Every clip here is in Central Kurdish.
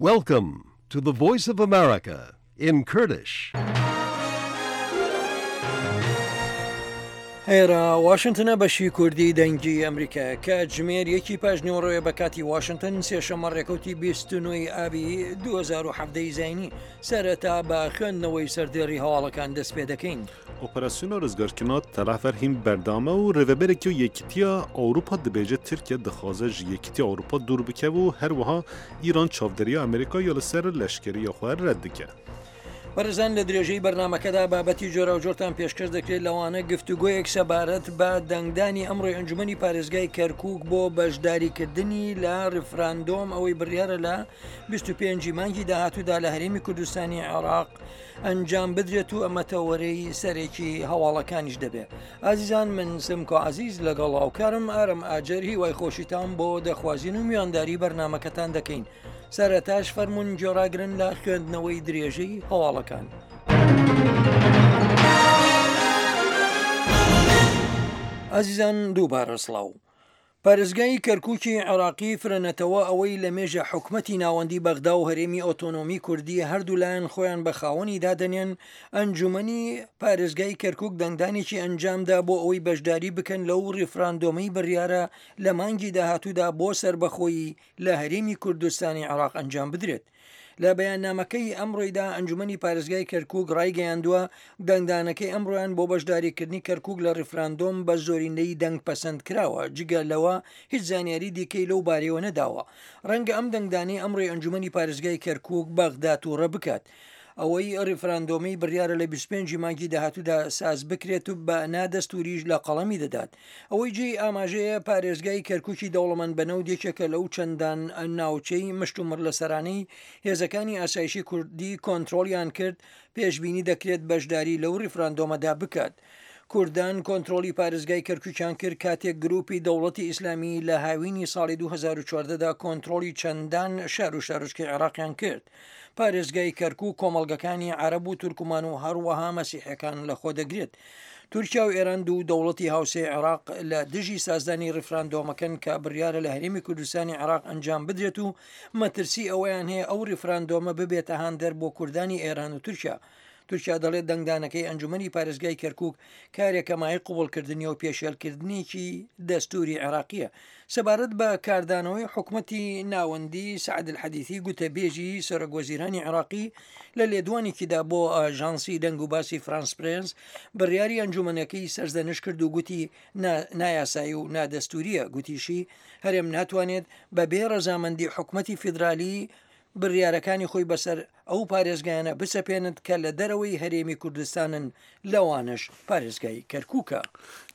Welcome to the Voice of America in Kurdish. ئێرە واشنتنە بەشی کوردی دەنگی ئەمریکا کاتژمێر یەکی پاش نیوەڕۆیە بە کاتی واشنتن سێشەممە ڕێکەوتی 29 ئابی 2017 زینی سەرەتا بە خوێندنەوەی سەردێڕی هەواڵەکان دەست پێ دەکەین. Operasyona rizgarkirina Telafer hîn berdewam e û rêveberekî Yekîtiya Ewropa dibêje Tirkiye dixwaze ji Yekîtiya Ewropa dûr bikeve û her wiha Îran çavdêriya Amerîka ya li ser leşkeriya xwe red dike. بەڕێزان لە درێژەی بەرنامەکەدا بابەتی جۆراوجۆرتان پێشکەش دەکرێت لەوانە گفتوگۆیەک سەبارەت بە دەنگدانی ئەمڕۆی ئەنجومەنی پارێزگای کەرکوک بۆ بەشداریکردنی لە ڕیفراندۆم ئەوەی بڕیارە لە 25 مانگی داهاتوودا لە هەرێمی کوردستانی عێراق ئەنجام بدرێت و ئەمە تەوەرەی سەرەکی هەواڵەکانیش دەبێت. ئازیزان من سمکۆ عەزیز لەگەڵ هاوکارم ئارم ئاجەر هیوای خۆشیتان بۆ دەخوازین و میوانداری بەرنامەکەتان دەکەین. سەرەتاش فەرموون گوێڕاگرن لە خوێندنەوەی درێژەی هەواڵەکان. ئازیزان دووبارە سڵاو. پارێزگای کەرکوکی عێراقی فرەنەتەوە ئەوەی لە مێژە حکومەتی ناوەندی بەغدا و هەرێمی ئۆتۆنۆمی کوردی هەردوولایان خۆیان بە خاوەنی دادەنێن، ئەنجومەنی پارێزگای کەرکوک دەنگدانێکی ئەنجامدا بۆ ئەوەی بەشداری بکەن لەو ڕیفراندۆمەی بڕیارە لە مانگی داهاتوودا بۆ سەربەخۆیی لە هەرێمی کوردستانی عێراق ئەنجام بدرێت. لە بەیاننامەکەی ئەمڕۆیدا ئەنجومەنی پارێزگای کەرکوک ڕایگەیاندووە، دەنگدانەکەی ئەمڕۆیان بۆ بەشداریکردنی کەرکوک لە ڕیفراندۆم بە زۆرینەی دەنگ پەسەند کراوە، جگە لەوە هیچ زانیاری دیکەی لەو بارەیەوە نەداوە. ڕەنگە ئەم دەنگدانەی ئەمڕۆی ئەنجومەنی پارێزگای کەرکوک بەغدا توڕە بکات. ئەوەی ڕیفراندۆمەی بڕیارە لە 25 ی مانگی داهاتوودا ساز بکرێت و بە نادەستووریش لە قەڵەمی دەدات. ئەوەی جێی ئاماژەیە پارێزگای کەرکوکی دەوڵەمەند بە نەوت یەکێکە لەو چەندان ناوچەی مشتومڕ لەسەرانەی هێزەکانی ئاسایشی کوردی کۆنترۆڵیان کرد، پێشبینی دەکرێت بەشداری لەو ڕیفراندۆمەدا بکات. کوردان کۆنترۆڵی پارێزگای کەرکوکیان کرد کاتێک گروپی دەوڵەتی ئیسلامی لە هاوینی ساڵی 2014 دا کۆنترۆڵی چەندان شار و شارۆچکەی عێراقیان کرد. پارێزگای کەرکوک کۆمەڵگەکانی عەرەب و تورکمان و هەروەها مەسیحیەکان لەخۆدەگرێت. تورکیا و ئێران دوو دەوڵەتی هاوسێی عێراق لە دژی سازدانی ڕیفراندۆمەکەن کە بڕیارە لە هەرێمی کوردستانی عێراق ئەنجام بدرێت و مەترسی ئەوەیان هەیە ئەو ڕیفراندۆمە ببێتە هاندەر بۆ کوردانی ئێران و تورکیا. تورکیا دەڵێت دەنگدانەکەی ئەنجومەنی پارێزگای کەرکوک کارێکە مایەی قبوڵکردنیە و پێشێلکردنێکی دەستوری عێراقیە. سەبارەت بە کاردانەوەی حکومەتی ناوەندی، سەعد الحەدیثی گوتەبێژی سەرۆکوەزیرانی عێراقی لە لێدوانێکیدا بۆ ئاژانسی دەنگوباسی فرانس پرێس بڕیاری ئەنجومەنەکەی سەرزەنشت کرد و گوتی نایاسایی و نادەستوریە، گوتیشی هەرێم ناتوانێت بەبێ ڕەزامەندی حکومەتی فیدرالی بڕیارەکانی خۆی بەسەر ئەو پارێزگایانە بسەپێنت کە لە دەرەوەی هەرێمی کوردستانن لەوانەش پارێزگای کەرکوکە.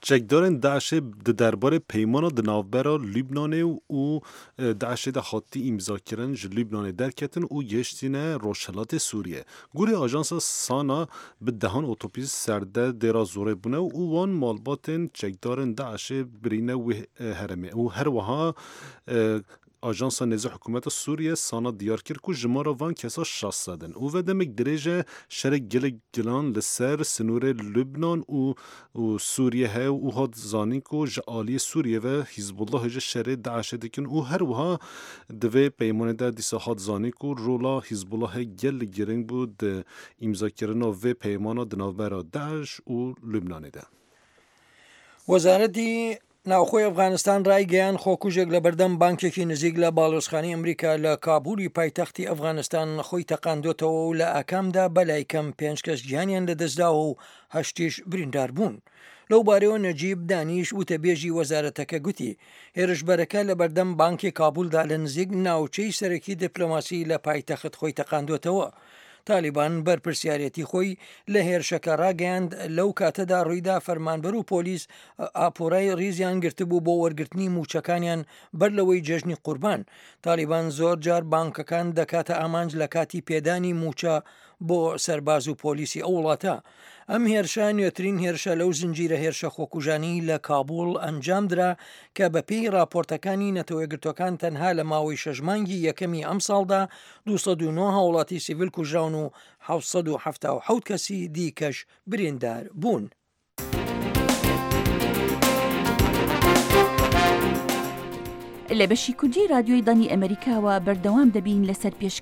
Çekdarên DAIŞ'ê di derbarê peymana di navbera Lubnanê û DAIŞ'ê de hatî îmzakirin ji Lubnanê derketin û gihiştîne rojhilatê Sûriyê. Gorî ajansa SANA bi dehan otobîs serde Dêra Zorê bûne û wan malbatên çekdarên DAIŞ'ê birîne wê herêmê û her wiha Ajansa nêzî hikûmeta Sûriyê Sana diyar kir ku jimara van kesa 600 in û ve demek dirêj e şerê gelek gilan li ser sinorê Lubnan û û Sûriyê heye û hat zanîn ku ji aliyê Sûriyê ve Hîzbullahê ji şerê DAIŞ'ê dikin û her wiha di vê peymanê de dîsa hat zanîn ku rola Hîzbullahê gelek giring bû di îmzakirina vê peymana di navbera DAIŞ û Lubnanê de. وەزارەتی ناوخۆی ئەفغانستان ڕایگەیاند، خۆکوژێک لەبەردەم بانکێکی نزیک لە باڵیۆزخانەی ئەمریکا لە کابولی پایتەختی ئەفغانستان خۆی تەقاندۆتەوە و لە ئاکامدا بەلای کەم پێنج کەس گیانیان لەدەستداوە و هەشتیش بریندار بوون. لەو بارەیەوە نەجیب دانیش وتەبێژی وەزارەتەکە گوتی، هێرشبەرەکە لەبەردەم بانکی کابولدا لە نزیک ناوچەی سەرەکی دیپلۆماسی لە پایتەخت خۆی تەقاندۆتەوە. تالیبان بەرپرسیارێتی خۆی لە هێرشەکە ڕاگەیاند، لەو کاتەدا ڕوویدا فەرمانبەر و پۆلیس ئاپۆرای ڕیزیان گرتبوو بۆ وەرگرتنی مووچەکانیان بەر لەوەی جەژنی قوربان. تالیبان زۆر جار بانکەکان دەکاتە ئامانج لە کاتی پێدانی مووچە بۆ سەرباز و پۆلیسی ئەو وڵاتە. ئەم هێرشە نوێترین هێرشە لەو زنجیرە هێرشە خۆکوژانەی لە کابوڵ ئەنجامدرا کە بەپێی ڕاپۆرتەکانی نەتەوەیەکگرتووەکان تەنها لە ماوەی شەش مانگی یەکەمی ئەمساڵدا 209 هاوڵاتی سیڤیل کوژراون و 777 کەسی دیکەش بریندار بوون. لە بەشی کوردی رادیۆی دەنگی ئەمەریکاوە بەردەوام دەبین لەسەر پێشکەشکردنی.